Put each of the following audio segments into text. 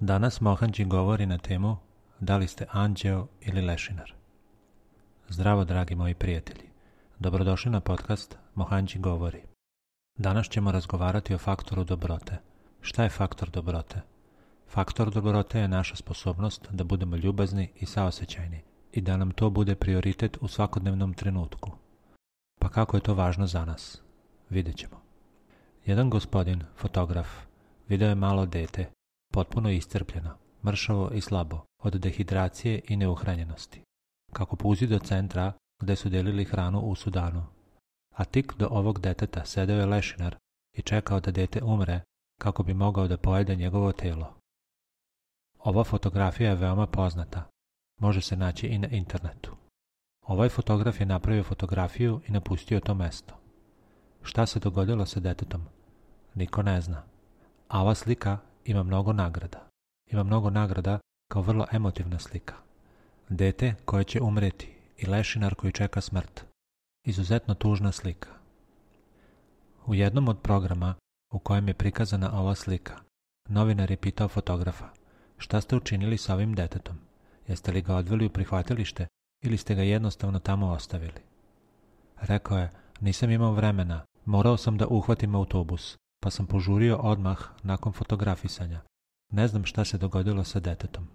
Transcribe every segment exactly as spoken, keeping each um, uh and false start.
Danas Mohanđi govori na temu da li ste anđeo ili lešinar. Zdravo, dragi moji prijatelji. Dobrodošli na podcast Mohanđi govori. Danas ćemo razgovarati o faktoru dobrote. Šta je faktor dobrote? Faktor dobrote je naša sposobnost da budemo ljubazni i saosećajni i da nam to bude prioritet u svakodnevnom trenutku. Pa kako je to važno za nas? Vidjet ćemo. Jedan gospodin, fotograf, video je malo dete, potpuno iscrpljeno, mršavo i slabo, od dehidracije i neuhranjenosti, kako puzi do centra gde su delili hranu u Sudanu. A tik do ovog deteta sedeo je lešinar i čekao da dete umre kako bi mogao da pojede njegovo telo. Ova fotografija je veoma poznata. Može se naći i na internetu. Ovaj fotograf je napravio fotografiju i napustio to mesto. Šta se dogodilo sa detetom? Niko ne zna. A ova slika ima mnogo nagrada. Ima mnogo nagrada kao vrlo emotivna slika. Dete koje će umreti i lešinar koji čeka smrt. Izuzetno tužna slika. U jednom od programa u kojem je prikazana ova slika, novinar je pitao fotografa: šta ste učinili sa ovim detetom? Jeste li ga odveli u prihvatilište ili ste ga jednostavno tamo ostavili? Rekao je: nisam imao vremena, morao sam da uhvatim autobus, pa sam požurio odmah nakon fotografisanja. Ne znam šta se dogodilo sa detetom.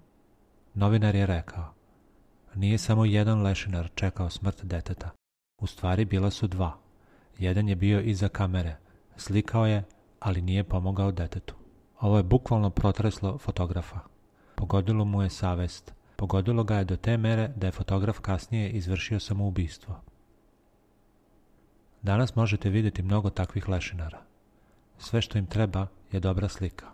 Novinar je rekao: nije samo jedan lešinar čekao smrt deteta. U stvari bila su dva. Jedan je bio iza kamere, slikao je, ali nije pomogao detetu. Ovo je bukvalno protreslo fotografa. Pogodilo mu je savest. Pogodilo ga je do te mere da je fotograf kasnije izvršio samoubistvo. Danas možete vidjeti mnogo takvih lešinara. Sve što im treba je dobra slika.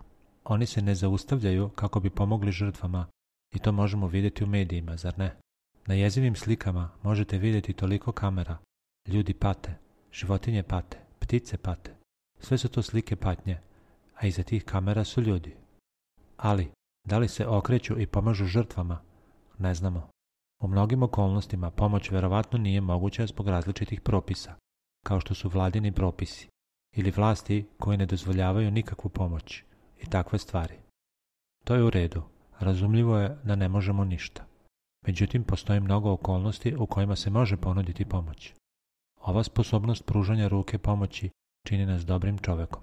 Oni se ne zaustavljaju kako bi pomogli žrtvama i to možemo vidjeti u medijima, zar ne? Na jezivim slikama možete vidjeti toliko kamera. Ljudi pate, životinje pate, ptice pate. Sve su to slike patnje, a iza tih kamera su ljudi. Ali, da li se okreću i pomažu žrtvama? Ne znamo. U mnogim okolnostima pomoć verovatno nije moguća zbog različitih propisa, kao što su vladini propisi, ili vlasti koji ne dozvoljavaju nikakvu pomoć i takve stvari. To je u redu, razumljivo je da ne možemo ništa. Međutim, postoji mnogo okolnosti u kojima se može ponuditi pomoć. Ova sposobnost pružanja ruke pomoći čini nas dobrim čovekom.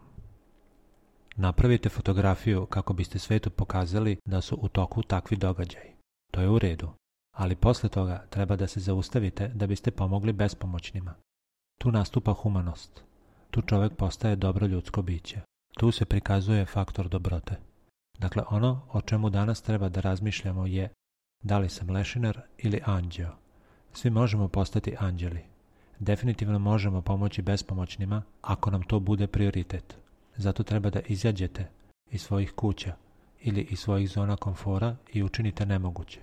Napravite fotografiju kako biste svetu pokazali da su u toku takvi događaji. To je u redu, ali posle toga treba da se zaustavite da biste pomogli bespomoćnima. Tu nastupa humanost. Tu čovek postaje dobro ljudsko biće. Tu se prikazuje faktor dobrote. Dakle, ono o čemu danas treba da razmišljamo je: da li sam lešinar ili anđeo? Svi možemo postati anđeli. Definitivno možemo pomoći bespomoćnima ako nam to bude prioritet. Zato treba da izađete iz svojih kuća ili iz svojih zona komfora i učinite nemoguće.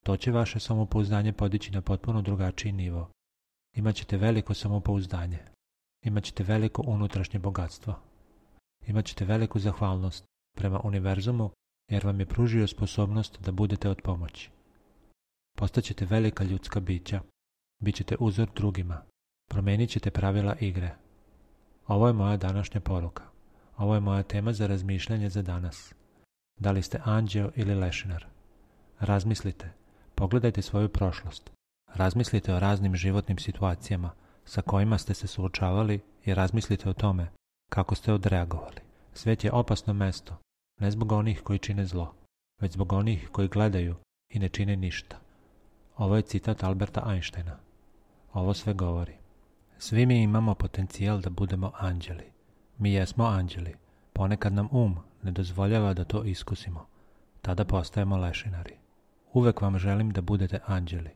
To će vaše samopouzdanje podići na potpuno drugačiji nivo. Imaćete veliko samopouzdanje. Imaćete veliko unutrašnje bogatstvo. Imaćete veliku zahvalnost prema univerzumu jer vam je pružio sposobnost da budete od pomoći. Postaćete velika ljudska bića. Bićete uzor drugima. Promenit ćete pravila igre. Ovo je moja današnja poruka. Ovo je moja tema za razmišljanje za danas. Da li ste anđeo ili lešinar? Razmislite. Pogledajte svoju prošlost. Razmislite o raznim životnim situacijama sa kojima ste se suočavali i razmislite o tome kako ste odreagovali. Svet je opasno mesto, ne zbog onih koji čine zlo, već zbog onih koji gledaju i ne čine ništa. Ovo je citat Alberta Einsteina. Ovo sve govori. Svi mi imamo potencijal da budemo anđeli. Mi jesmo anđeli. Ponekad nam um ne dozvoljava da to iskusimo. Tada postajemo lešinari. Uvek vam želim da budete anđeli.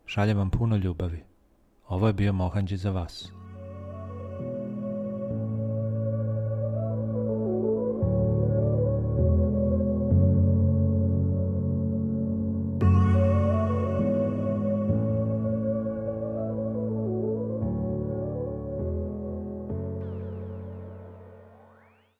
Šaljem vam puno ljubavi. Ovo je bio Mohanđi za vas.